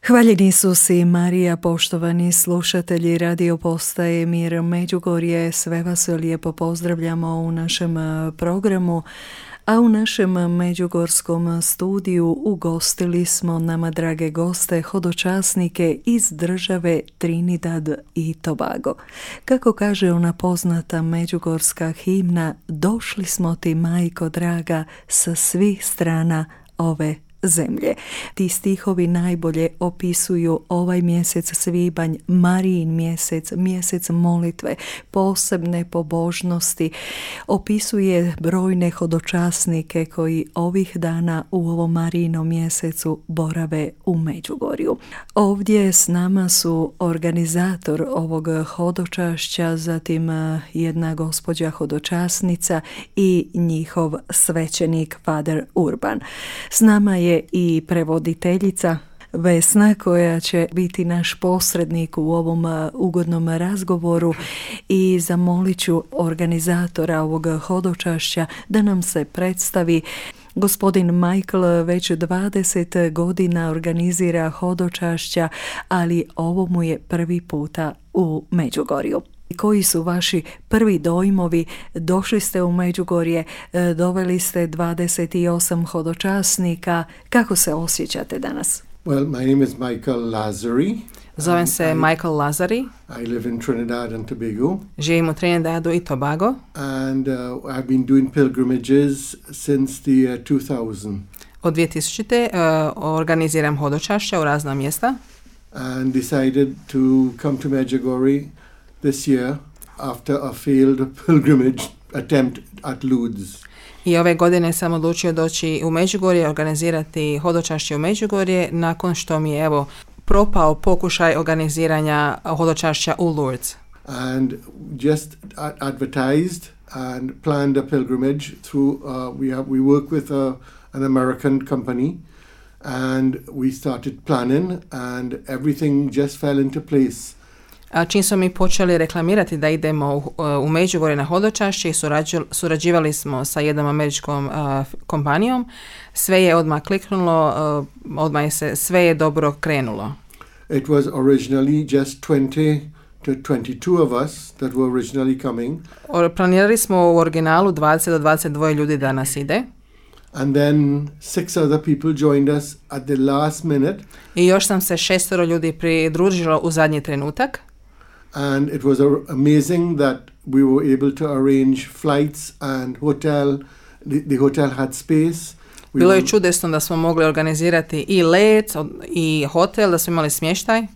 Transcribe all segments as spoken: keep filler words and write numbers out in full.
Hvaljeni Isus i Marija, poštovani slušatelji radio postaje Mir Međugorje, sve vas lijepo pozdravljamo u našem programu, a u našem međugorskom studiju ugostili smo nama drage goste, hodočasnike iz države Trinidad i Tobago. Kako kaže ona poznata međugorska himna, došli smo ti, majko draga, sa svih strana ove zemlje. Ti stihovi najbolje opisuju ovaj mjesec svibanj, Marijin mjesec, mjesec molitve, posebne pobožnosti. Opisuje brojne hodočasnike koji ovih dana u ovom Marijinom mjesecu borave u Međugorju. Ovdje s nama su organizator ovog hodočašća, zatim jedna gospođa hodočasnica i njihov svećenik Fader Urban. S nama je i prevoditeljica Vesna, koja će biti naš posrednik u ovom ugodnom razgovoru, i zamolit ću organizatora ovog hodočašća da nam se predstavi. Gospodin Michael već dvadeset godina organizira hodočašća, ali ovo mu je prvi puta u Međugorju. Koji su vaši prvi dojmovi? Došli ste u Međugorje, doveli ste dvadeset osam hodočasnika. Kako se osjećate danas? Well, my name is Michael Lazari. Zovem se I, Michael Lazari. I live in Trinidad and Tobago. Živim u Trinidadu i Tobago. And uh, I've been doing pilgrimages since the year two thousand. Od dvije tisućite. Uh, organiziram hodočašća u razna mjesta. And decided to come to Medjugorje this year after a failed pilgrimage attempt at Lourdes. I ove godine sam odlučio doći u Međugorje, organizirati hodočašće u Međugorje, nakon što mi je evo propao pokušaj organiziranja hodočašća u Lourdes. And just advertised and planned a pilgrimage through uh, we have we work with a, an American company, and we started planning and everything just fell into place. Čim smo mi počeli reklamirati da idemo u, u Međugorje na hodočašće i surađu, surađivali smo sa jednom američkom uh, kompanijom, sve je odmah kliknulo, uh, odmah je se, sve je dobro krenulo. It was originally just twenty to twenty-two of us that were originally coming. Planirali smo u originalu dvadeset do dvadeset dva ljudi da nas ide. And then six other people joined us at the last minute. I još nam se šestoro ljudi pridružilo u zadnji trenutak. And it was amazing that we were able to arrange flights and hotel. The, the hotel had space. We Bilo je čudesno da smo mogli organizirati i let i hotel, da smo imali smještaj.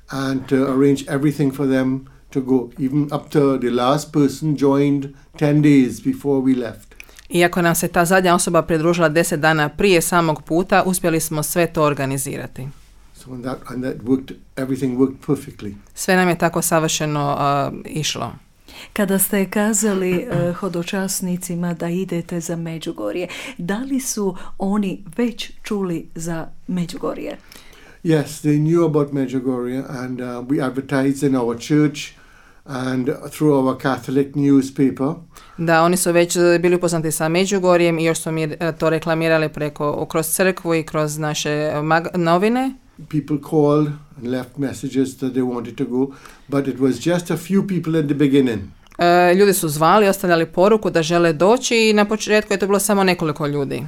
And to arrange everything for them to go, even up to the last person joined ten days before we left. Iako nam se ta zadnja osoba pridružila deset dana prije samog puta, uspjeli smo sve to organizirati. So and that, and that worked, everything worked perfectly. Sve nam je tako savršeno uh, išlo. Kada ste kazali uh, hodočasnicima da idete za Međugorje, da li su oni već čuli za Međugorje? Yes, they knew about Medjugorje, and uh, we advertised in our church and through our Catholic newspaper. Da, oni su već bili upoznati sa Međugorjem i još su mi to reklamirali preko, kroz crkvu i kroz naše mag- novine. People called and left messages that they wanted to go, but it was just a few people at the beginning. Uh, ljudi su zvali, ostavljali poruku da žele doći i na početku je to bilo samo nekoliko ljudi.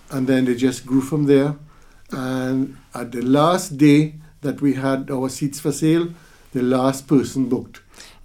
And then they just grew from there, and at the last day that we had our seats for sale, the last person booked.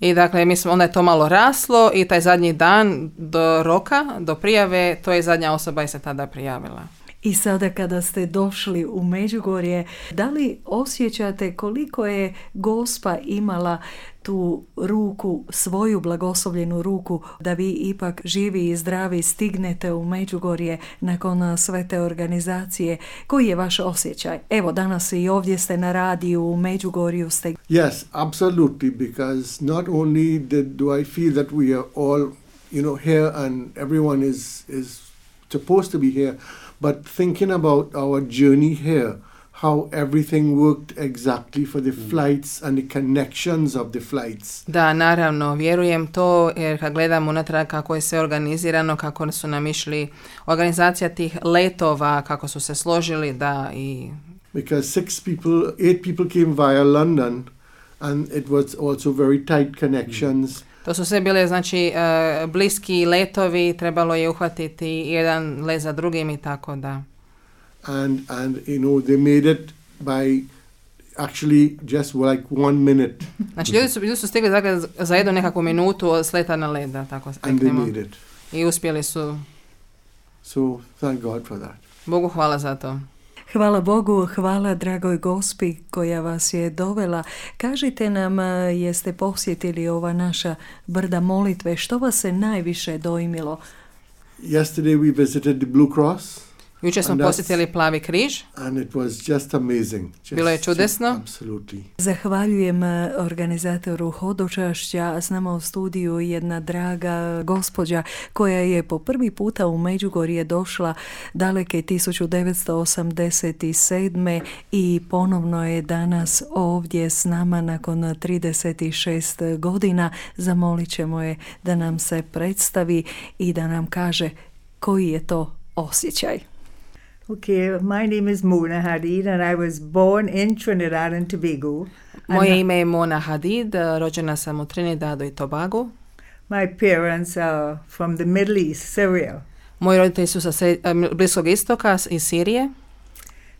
I dakle, mislim, onda je to malo raslo i taj zadnji dan do roka, do prijave, to je zadnja osoba i se tada prijavila. I sada kada ste došli u Međugorje, da li osjećate koliko je Gospa imala tu ruku, svoju blagoslovljenu ruku, da vi ipak živi i zdravi stignete u Međugorje nakon sve te organizacije? Koji je vaš osjećaj? Evo, danas i ovdje ste na radiju, u Međugorju ste. Yes, absolutely, because not only did, do I feel that we are all, you know, here and everyone is, is supposed to be here, but thinking about our journey here, how everything worked exactly for the flights and the connections of the flights. Da, naravno, vjerujem to, jer kad gledam unatrag kako je sve organizirano, kako su nam išli organizacija tih letova, kako su se složili, da, i because six people, eight people came via London, and it was also very tight connections. To su sve bile, znači, uh, bliski letovi, trebalo je uhvatiti jedan let za drugim i tako da. And, and you know, they made it by actually just like one minute. Znači, ljudi su, ljudi su stigli dakle, za jednu nekakvu minutu od sleta na led, da tako and they made it. I uspjeli su. So, thank God for that. Bogu hvala za to. Hvala Bogu, hvala dragoj Gospi koja vas je dovela. Kažite nam, jeste posjetili ova naša brda molitve, što vas se najviše dojmilo? Yesterday we visited the Blue Cross. Jučer smo posjetili Plavi križ. And it was just amazing. Just, Bilo je čudesno. Absolutely. Zahvaljujem organizatoru hodočašća. S nama u studiju jedna draga gospođa koja je po prvi puta u Međugorje došla daleke tisuću devetsto osamdeset sedme i ponovno je danas ovdje s nama nakon trideset šest godina. Zamolit ćemo je da nam se predstavi i da nam kaže koji je to osjećaj. Okay, my name is Mona Hadid and I was born in Trinidad and Tobago. Moje ime je Mona Hadid, rođena sam u Trinidadu i Tobagu. My parents are from the Middle East, Syria. Moji roditelji su sa Bliskog istoka iz Sirije.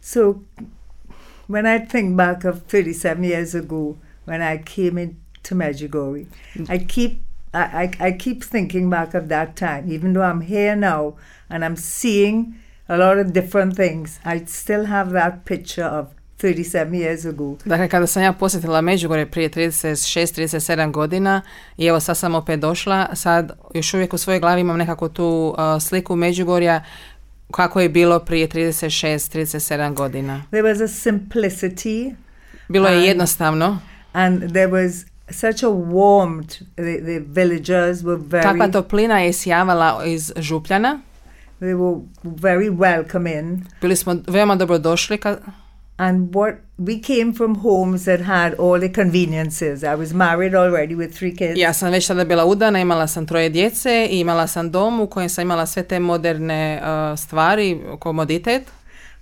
So when I think back of thirty-seven years ago when I came into Medjugorje, I keep I, I, I keep thinking back of that time, even though I'm here now and I'm seeing a lot of different things, I still have that picture of thirty-seven years ago. Dakle, kada sam ja posjetila Međugorje prije trideset šest trideset sedam godina i evo sad sam opet došla, sad još uvijek u svojoj glavi imam nekako tu uh, sliku Međugorja kako je bilo prije trideset šest trideset sedam godina. There was a simplicity. Bilo je jednostavno. And there was such a warmth. The, the villagers were very... Takva toplina je sjavala iz Župljana. They were very welcoming. Bili smo veoma dobro došli. Ka- and what we came from homes that had all the conveniences. I was married already with three kids. Ja sam već tada bila udana, imala sam troje djece i imala sam dom u kojem sam imala sve te moderne uh, stvari, komoditet.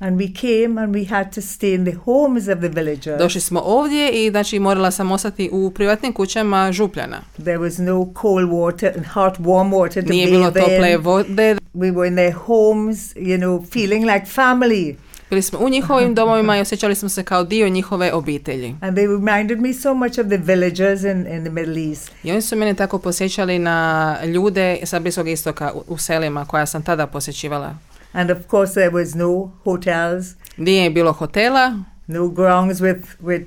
And we came and we had to stay in the homes of the villagers. Došli smo ovdje i znači morala sam ostati u privatnim kućama Župljana. There was no cold water and hot warm water to Nije bilo bathe tople in. vode. We were in their homes, you know, feeling like family. Bili smo u njihovim domovima i osjećali smo se kao dio njihove obitelji. And they reminded me so much of the villagers in, in the Middle East. I oni su mene tako posjećali na ljude sa Bliskog istoka u, u selima koja sam tada posjećivala. And of course there was no hotels. Nije bilo hotela. No grounds with, with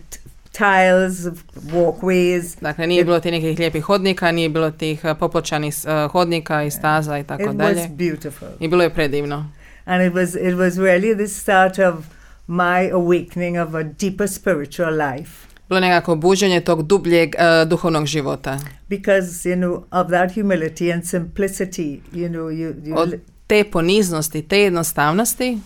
tiles, walkways. Dakle, nije bilo tih nekih lijepih hodnika, nije bilo tih uh, popločanih uh, hodnika i staza i tako dalje. It was beautiful. I bilo je predivno. And it was it was really the start of my awakening of a deeper spiritual life. Bilo je nekako buđenje tog dubljeg uh, duhovnog života. Because, you know, of that humility and simplicity, you know, you, you Od te poniznosti, te jednostavnosti.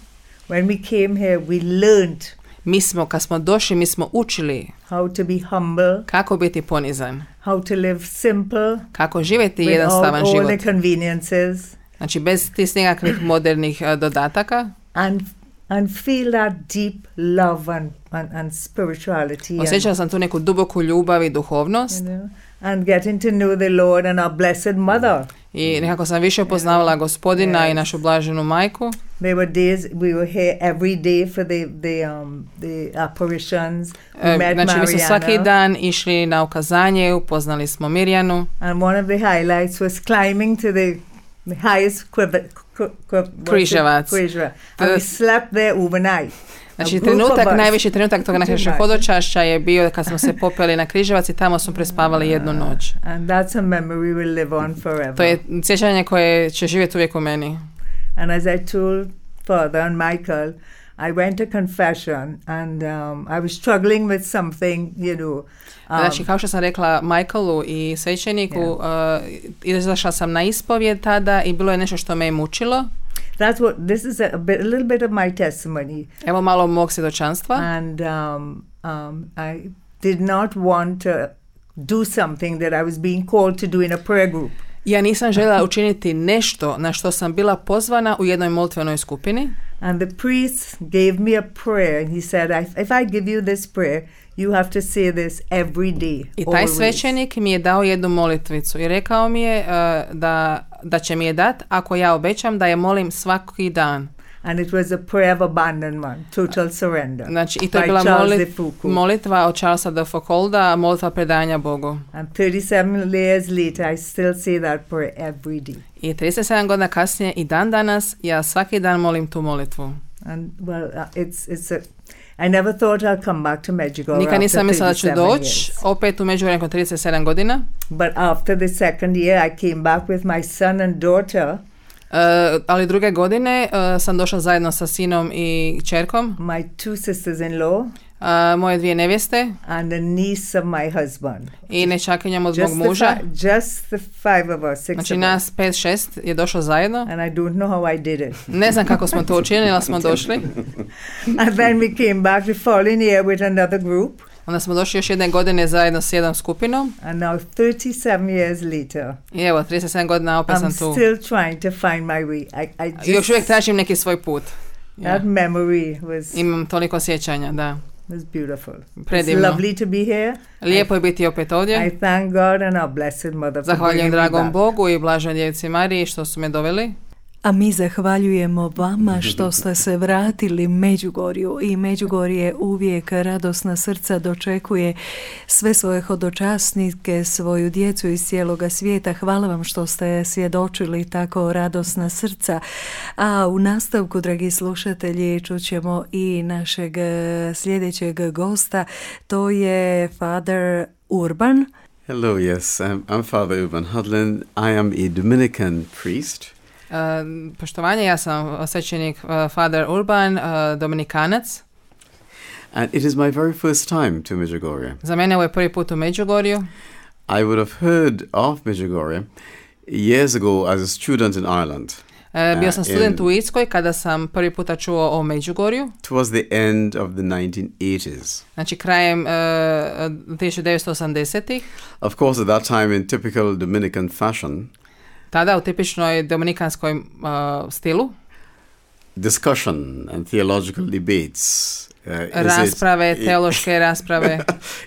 When we came here, we learned. Mi smo, kad smo došli, mi smo učili how to be humble, kako biti ponizan, how to live simple, kako živjeti jednostavan all život. The conveniences. Znači bez tih nekakvih modernih uh, dodataka. And and feel that deep love and and, and spirituality. Osjećala sam tu neku duboku ljubav i duhovnost. You know, and getting to know the Lord and our blessed mother. I nekako sam više poznavala Gospodina yes. i našu blaženu majku. There were days we were here every day for the the um the apparitions. We e, met znači mi smo svaki dan išli na ukazanje, upoznali smo Mirjanu. And one of the highlights was climbing to the the highest Križevac. And we slept there overnight. Znači trenutak, najviši trenutak toga našeg hodočašća je bio kad smo se popeli na Križevac i tamo smo prespavali jednu noć. And that's a memory will live on forever. To je sjećanje koje će živjeti uvijek u meni. And as I told Father and Michael, I went to confession and um, I was struggling with something, you know. Um, znači, kao što sam rekla Michaelu i svećeniku, yeah. uh, izašla sam na ispovjed tada i bilo je nešto što me je mučilo. That's what, this is a, a, bit, a little bit of my testimony. Evo malo mog svjedočanstva. And um, um, I did not want to do something that I was being called to do in a prayer group. Ja nisam željela učiniti nešto na što sam bila pozvana u jednoj molitvenoj skupini. And the priest gave me a prayer, and he said, if, if I give you this prayer, you have to say this every day. I taj always. svećenik mi je dao jednu molitvicu i rekao mi je uh, da, da će mi je dat ako ja obećam da je molim svaki dan. And it was a prayer of abandonment, total surrender. Znači, i to je by bila Charles molit, de Foucault. molitva od Charlesa de Foucaulda, molitva predanja Bogu. And thirty-seven years later, I still say that prayer every day. I trideset sedam godina kasnije i dan danas ja svaki dan molim tu molitvu. And well, uh, it's it's a. I never thought I'll come back to Medjugorje. Nikad nisam mislila da ću thirty-seven doći years. opet u Međugorje nakon trideset sedam godina. But after the second year, I came back with my son and daughter. Uh, ali druge godine uh, sam došla zajedno sa sinom i kćerkom, My two sisters-in-law, uh, moje dvije nevjeste and a niece of my husband. i nečakinjom od mog Just the, muža. fi- just the five of us, six Znači of us. nas pet, šest je došlo zajedno. And I don't know how I did it. Ne znam kako smo to učinili, ali smo došli. And then we came back the following year with another group. Onda smo došli još jedne godine zajedno s jednom skupinom. And now thirty-seven years later, I evo, trideset sedam godina opet I'm sam tu. still trying to find my way. I, I just, I još uvijek tražim neki svoj put. that Ja. memory was, Imam toliko sjećanja, da. was beautiful. It's Predivno. lovely to be here. Lijepo je biti opet ovdje. I thank God and our blessed mother for Zahvaljujem bringing me dragom back. Bogu i blažoj djevici Mariji što su me doveli. A mi zahvaljujemo vama što ste se vratili Međugorju i Međugorje uvijek radosna srca dočekuje sve svoje hodočasnike, svoju djecu iz cijeloga svijeta. Hvala vam što ste svjedočili tako radosna srca. A u nastavku, dragi slušatelji, čućemo i našeg eh, sljedećeg gosta. To je Father Urban. Hello, yes, I'm, I'm Father Urban Hudlin. I am a Dominican priest. Uh, poštovanje, ja sam svećenik uh, Father Urban, uh, Dominikanac. And it is my very first time to Medjugorje. Za mene ovo je prvi put u Međugorju. I would have heard of Medjugorje years ago as a student in Ireland. Uh, bio sam Uh, student in- u Irskoj kada sam prvi puta čuo o Međugorju. Towards the end of the nineteen eighties. Znači krajem uh, tisuću devetsto osamdesetih. Of course, at that time, in typical Dominican fashion, Tada u tipičnoj dominikanskoj uh, stilu. discussion and theological debates. Uh, is it- Rasprave, teološke rasprave.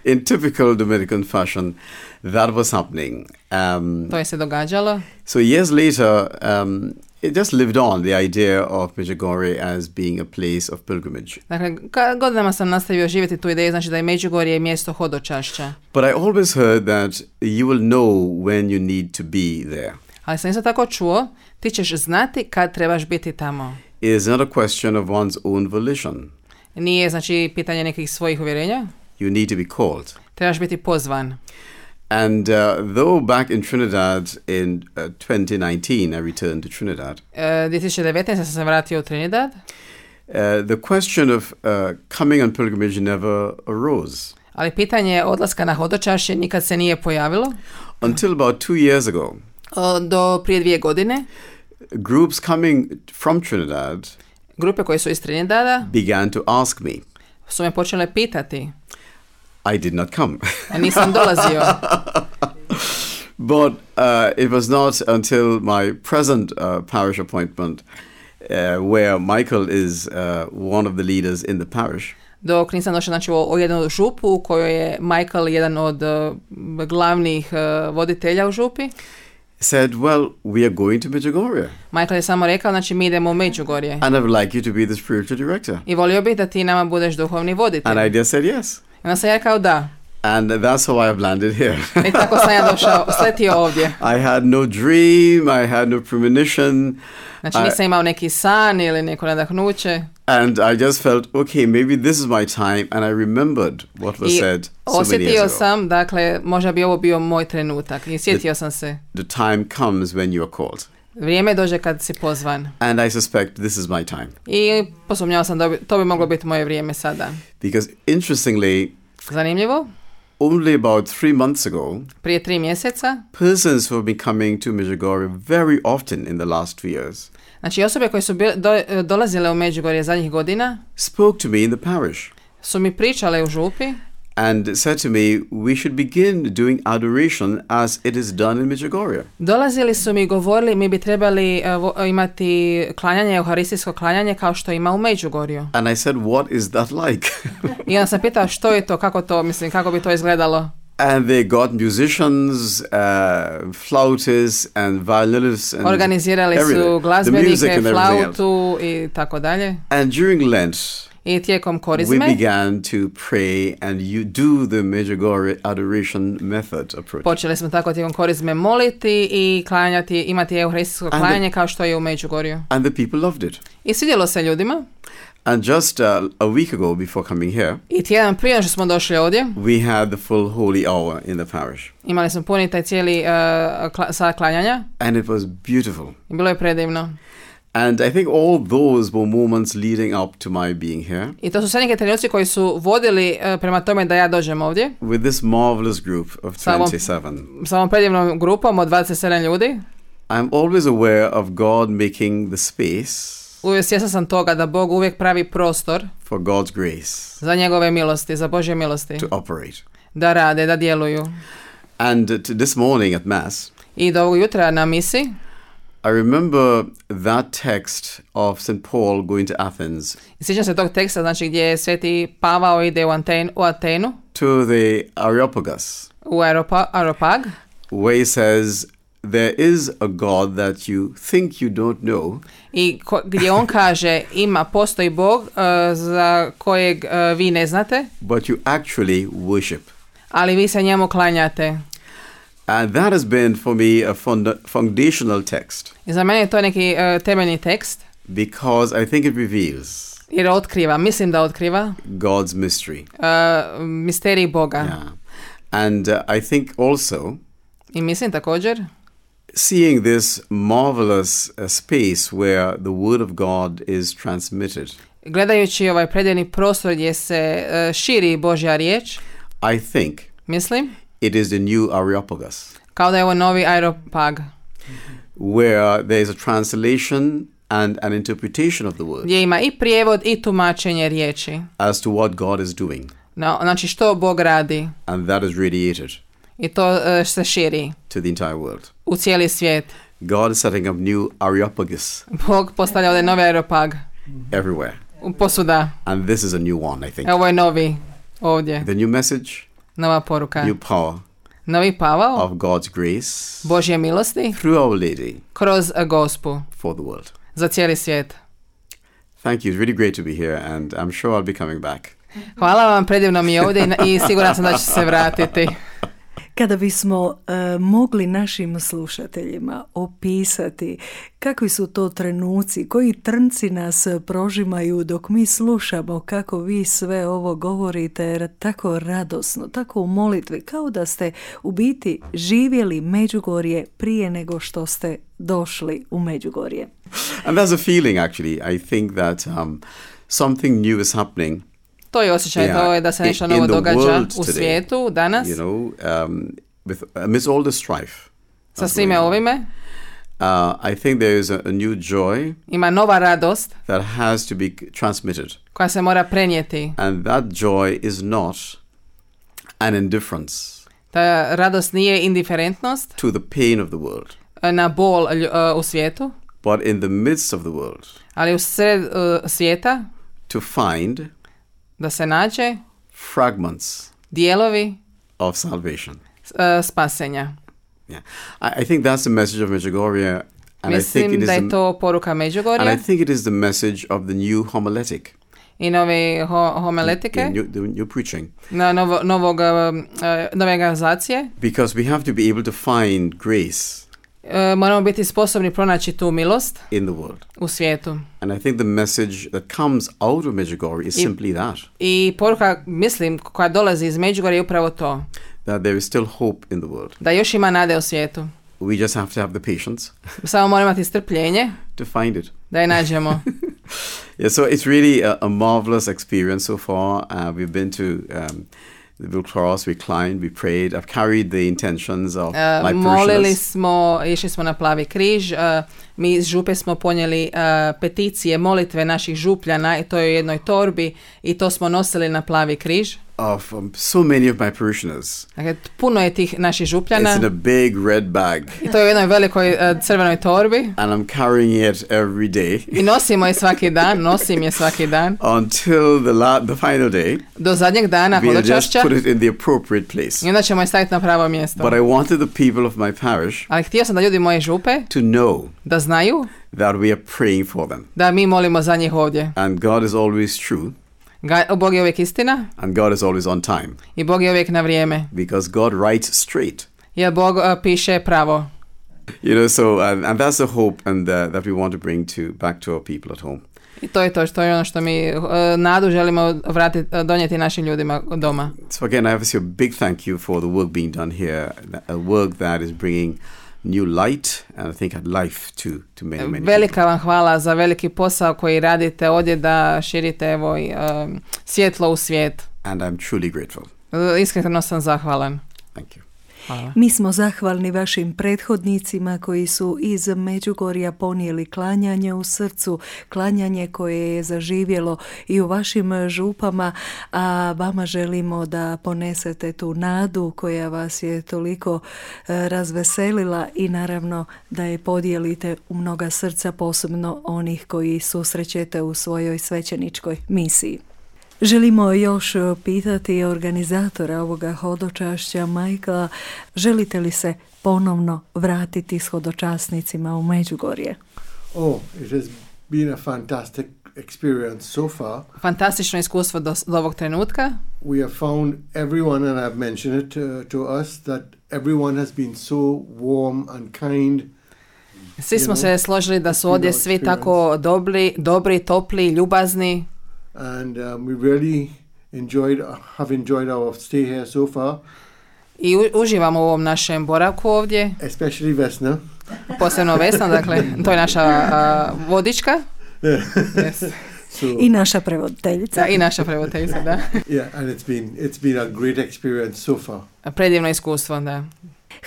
in typical Dominican fashion, that was happening. Um, To je se događalo. So years later, um, it just lived on, the idea of Medjugorje as being a place of pilgrimage. Dakle, ka- godinama sam nastavio živjeti tu ideju, znači da je Međugorje mjesto hodočašća. But I always heard that you will know when you need to be there. Ali sam isto tako čuo, ti ćeš znati kad trebaš biti tamo. It is not a question of one's own volition. Nije, znači, pitanje nekih svojih uvjerenja. You need to be called. Trebaš biti pozvan. And uh, though back in Trinidad in uh, twenty nineteen, I returned to Trinidad, E, dvije tisuće devetnaeste sam se vratio u Trinidad. uh, the question of uh, coming on pilgrimage never arose Ali pitanje odlaska na hodočašće nikad se nije pojavilo. until about two years ago. O, do prije dvije godine. Groups coming from Trinidad Grupe koje su iz Trinidada began to ask me. su me počele pitati. I did not come. A nisam dolazio. But uh, it was not until my present uh, parish appointment, uh, where Michael is uh, one of the leaders in the parish, Dok nisam došla, znači, o, o jednu župu u kojoj je Michael jedan od uh, glavnih uh, voditelja u župi. said, well, we are going to Medjugorje, Michael je samo rekao, znači, mi idemo u Međugorje. and I would like you to be the spiritual director. I volio bih da ti nama budeš duhovni voditelj. And I just said yes. I onda sam ja rekao da. And that's how I have landed here. I tako sam ja došao, sletio ovdje. I had no dream, I had no premonition, Znači I- nisam imao neki san ili neko nadahnuće. and I just felt, okay, maybe this is my time, and I remembered what was I said so many osjetio years ago. sam, dakle, možda bi ovo bio moj trenutak. I sjetio sam se. The time comes when you are called. Vrijeme dođe kad si pozvan. And I suspect this is my time. I posumnjao sam da bi, to bi moglo biti moje vrijeme sada. Because interestingly, Zanimljivo, only about three months ago, prije tri mjeseca, persons who have been coming to Medjugorje very often in the last two years znači osobe koje su bil, do, dolazile u Međugorje zadnjih godina, spoke to me in the parish. su mi pričale u župi and said to me, we should begin doing adoration as it is done in Medjugorje. Dolazili su mi i govorili mi bi trebali uh, imati klanjanje, euharistijsko klanjanje kao što ima u Međugorju. And I said, what is that like? I onda sam pitao što je to, kako to, mislim, kako bi to izgledalo. And they got musicians, uh, flautists and violinists and Organizirali everything. su glazbenike, flautu i tako dalje. And during Lent, I tijekom we korizme began to pray and you do the Medjugorje adoration method approach. počeli smo tako tijekom korizme moliti i klanjati, imati euharistijsko And klanjanje the- kao što je u Međugorju. And the people loved it. I svidjelo se ljudima. And just uh, a week ago, before coming here, I tjedan prije što smo došli ovdje, we had the full holy hour in the parish. imali smo puni taj cijeli uh, kla- sat klanjanja And it was beautiful. i bilo je predivno. And I think all those were moments leading up to my being here I to su sve neke trenuci koji su vodili uh, prema tome da ja dođem ovdje with this marvelous group of Sa ovom- twenty-seven. sa ovom predivnom grupom od dvadeset sedam ljudi. I'm always aware of God making the space Uvijek svjesna sam toga da Bog uvijek pravi prostor for God's grace za njegove milosti, za Božje milosti, to operate. da rade, da djeluju. And uh, to this morning at Mass, I do ovog jutra na misi I remember that text of Saint Paul going to Athens sjećam se tog teksta, znači gdje Sveti Pavao ide u, Anten, u Atenu, to the Areopagus, u Aeropa, Aeropag, where he says, there is a God that you think you don't know, i ko, gdje on kaže ima, postoji Bog uh, za kojeg uh, vi ne znate, but you actually worship. ali vi se njemu klanjate. And that has been for me a funda- foundational text I za mene je to neki uh, temeljni tekst, because I think it reveals jer otkriva, mislim da otkriva God's mystery. uh, misterij Boga. Yeah. And uh, I think also I mislim također seeing this marvelous uh, space where the word of God is transmitted, gledajući ovaj predivni prostor gdje se uh, širi Božja riječ, I think mislim, it is the new Areopagus, kao da je ovo novi Aeropag, where there is a translation and an interpretation of the word gdje ima i prijevod i tumačenje riječi. as to what God is doing. No, znači što Bog radi And that is radiated i to uh, se širi to the entire world. u cijeli svijet. God is setting up new Areopagus Bog postavlja ovdje novi Aeropag everywhere. u posuda. And this is a new one, I think. Ovo je novi ovdje, The new message, nova poruka. new power Novi Pavao of God's grace Božje milosti through Our Lady kroz uh, Gospu for the world. za cijeli svijet. Thank you. It's really great to be here, and I'm sure I'll be coming back. Hvala vam, predivno mi je ovdje i, i siguran sam da ću se vratiti. Kada bismo e, mogli našim slušateljima opisati kakvi su to trenuci, koji trnci nas prožimaju dok mi slušamo kako vi sve ovo govorite, jer tako radosno, tako u molitvi, kao da ste u biti živjeli Međugorje prije nego što ste došli u Međugorje. And there's a feeling, actually. I think that um, something new is happening. To je osjećaj, Yeah, to je da se nešto in- in novo the događa world u today, svijetu danas, You know, um, with amidst all the strife. sa that's svime going on. ovime. Uh, I think there is a, a new joy Ima nova radost that has to be transmitted. koja se mora prenijeti. And that joy is not an indifference Ta radost nije indiferentnost to the pain of the world, na bol lju- uh, u svijetu, but in the midst of the world, ali u sred uh, svijeta to find da se nađe fragments dijelovi of salvation. uh, spasenja. Yeah, I, I think that's the message of Medjugorje, and I think Mislim it is da je the, to poruka and I Međugorja think it is the message of the new homiletic, i nove ho- the homiletike, new, the new preaching, na novo, novog, uh, nove organizacije. because we have to be able to find grace Uh, moramo biti sposobni pronaći tu milost in the world. u svijetu. And I think the message that comes out of Medjugorje is I- simply that, I poruka, mislim, koja dolazi iz Međugorja je upravo to. that there is still hope in the world. Da još ima nade u svijetu. We just have to have the patience Samo moramo imati strpljenje to find it. da je nađemo. Yeah, so it's really a, a marvelous experience so far. Uh, we've been to um, the Blue Cross, we climbed, we prayed. I've carried the intentions of Uh, my molili parishioners. smo, išli smo na Plavi križ, uh, mi iz župe smo ponijeli uh, peticije, molitve naših župljana i to je u jednoj torbi i to smo nosili na Plavi križ. of um, so many of my parishioners. Dakle, puno je tih naših župljana. It's in a big red bag. I to je u jednoj velikoj uh, crvenoj torbi. And I'm carrying it every day. I nosimo je svaki dan, nosim je svaki dan. Until the la- the final day. Do zadnjeg dana We'll hodočašća. just put it in the appropriate place. I onda ćemo je staviti na pravo mjesto. But I wanted the people of my parish Ali htio sam da ljudi moje župe to know da znaju that we are praying for them. da mi molimo za njih ovdje. And God is always true. Ga- Bog je uvijek istina And God is always on time. i Bog je uvijek na vrijeme. Because God writes straight. Jer Bog uh, piše pravo. You know, so, and, and that's the hope and the, that we want to bring to back to our people at home. I to je to što je ono što mi uh, nadu želimo vratiti, uh, donijeti našim ljudima doma. So again, I have to say a big thank you for the work being done here, a work that is bringing new light and I think life to, to many, many Velika people. vam hvala za veliki posao koji radite ovdje da širite evo, um, svjetlo u svijet. And I'm truly grateful. Uh, iskreno sam zahvalan. Thank you. Hvala. Mi smo zahvalni vašim prethodnicima koji su iz Međugorja ponijeli klanjanje u srcu, klanjanje koje je zaživjelo i u vašim župama, a vama želimo da ponesete tu nadu koja vas je toliko e, razveselila i naravno da je podijelite u mnoga srca, posebno onih koji susrećete u svojoj svećeničkoj misiji. Želimo još pitati organizatora ovoga hodočašća, Michaela, želite li se ponovno vratiti s hodočasnicima u Međugorje? Oh, it has been a fantastic experience so far. Fantastično iskustvo do, do ovog trenutka. We have found everyone, and I've mentioned it uh, to us, that everyone has been so warm and kind. Svi smo se složili da su ovdje svi tako dobri, dobri, topli, ljubazni. And um, we really enjoyed, have enjoyed our stay here so far. I u, uživamo u ovom našem boravku ovdje. Especially Vesna. Posebno Vesna, dakle, to je naša uh, vodička. Yes. So, I naša prevoditeljica. Da, i naša prevoditeljica, da. yeah, and it's been, it's been a great experience so far. Predivno iskustvo, da.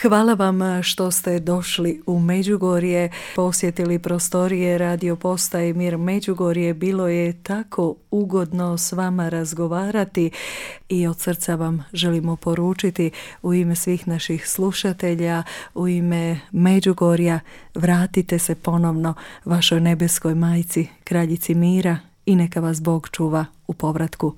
Hvala vam što ste došli u Međugorje, posjetili prostorije radio postaje Mir Međugorje. Bilo je tako ugodno s vama razgovarati i od srca vam želimo poručiti u ime svih naših slušatelja, u ime Međugorja, vratite se ponovno vašoj nebeskoj majci, kraljici mira i neka vas Bog čuva u povratku